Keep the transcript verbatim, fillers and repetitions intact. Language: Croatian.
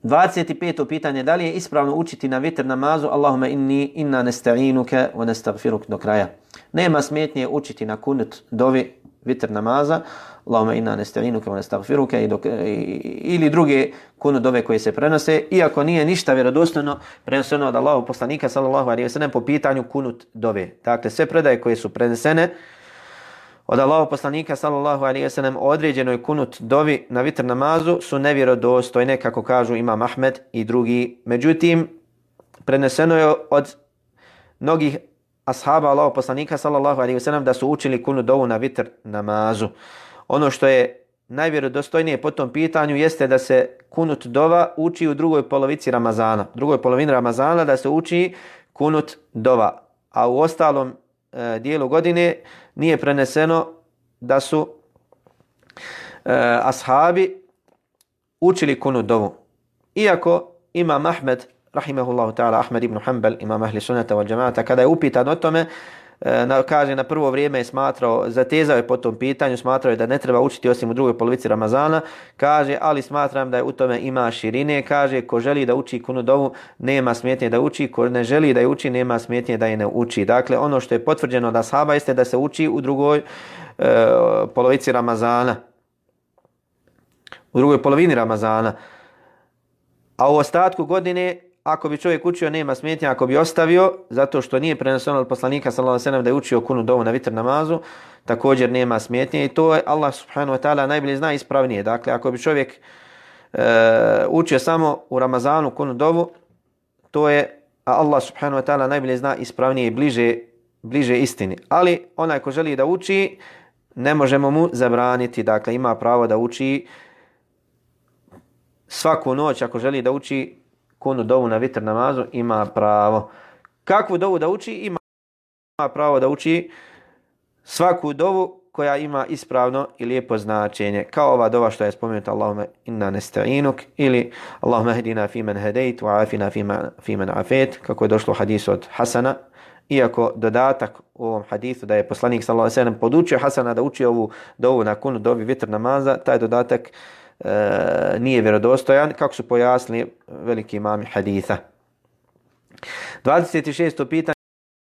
dvadeset peto pitanje, da li je ispravno učiti na vitr namazu Allahumma inni inna nesta'inuke wa nestagfiruk do kraja. Nema smetnje učiti na kunut dovi vitr namaza Allahumma inna nesta'inuke wa nestagfiruke ili druge kunut dove koje se prenose, iako nije ništa vjerodostojno preneseno od Allahovog poslanika sallallahu alejhi ve sellem po pitanju kunut dove. Dakle, sve predaje koje su prenesene od Allahovog poslanika sallallahu alejhi ve sellem o određenoj kunut dovi na vitr namazu su nevjerodostojne, kako kažu Imam Ahmed i drugi. Međutim, preneseno je od mnogih ashaba Allahovog poslanika sallallahu alejhi ve sellem da su učili kunut dovu na vitr namazu. Ono što je najvjerodostojnije po tom pitanju jeste da se kunut dova uči u drugoj polovici Ramazana. U drugoj polovini Ramazana da se uči kunut dova, a u ostalom e, dijelu godine nije preneseno da su e, ashabi učili kunut dovu. Iako Imam Ahmed, rahimahullahu ta'ala, Ahmed ibn Hanbal, imam ahli sunnata wal džamaata, kada je upitan o tome, e, na, kaže na prvo vrijeme je smatrao, zatezao je po tom pitanju, smatrao je da ne treba učiti osim u drugoj polovici Ramazana, kaže, ali smatram da je u tome ima širine, kaže, ko želi da uči kunut dovu, nema smetnje da uči, ko ne želi da je uči, nema smetnje da je ne uči. Dakle, ono što je potvrđeno da ashaba jeste da se uči u drugoj e, polovici Ramazana, u drugoj polovini Ramazana, a u ostatku godine, ako bi čovjek učio, nema smetnje, ako bi ostavio, zato što nije preneseno od poslanika sallallahu alejhi ve sellem da je učio kunut dovu na vitr namazu, također nema smetnje i to je Allah subhanahu wa ta'ala najbolje zna ispravnije. Dakle, ako bi čovjek e, učio samo u Ramazanu kunut dovu, to je, a Allah subhanahu wa ta'ala najbolje zna ispravnije i bliže, bliže istini. Ali onaj ko želi da uči, ne možemo mu zabraniti, dakle ima pravo da uči svaku noć, ako želi da uči kunut dovu na vitr namazu, ima pravo. Kakvu dovu da uči? Ima pravo da uči svaku dovu koja ima ispravno i lijepo značenje. Kao ova dova što je spomenuta Allahumma inna nesta'inuk ili Allahumma hdina fi man hadejt wa afina fi man afet, kako je došlo u hadisu od Hasana. Iako dodatak u ovom hadisu da je poslanik sallallahu alejhi ve sellem podučio Hasana da uči ovu dovu na kunut dovi vitr namaza, taj dodatak E, nije vjerodostojan, kako su pojasnili veliki imami haditha. dvadeset šesto pitanje.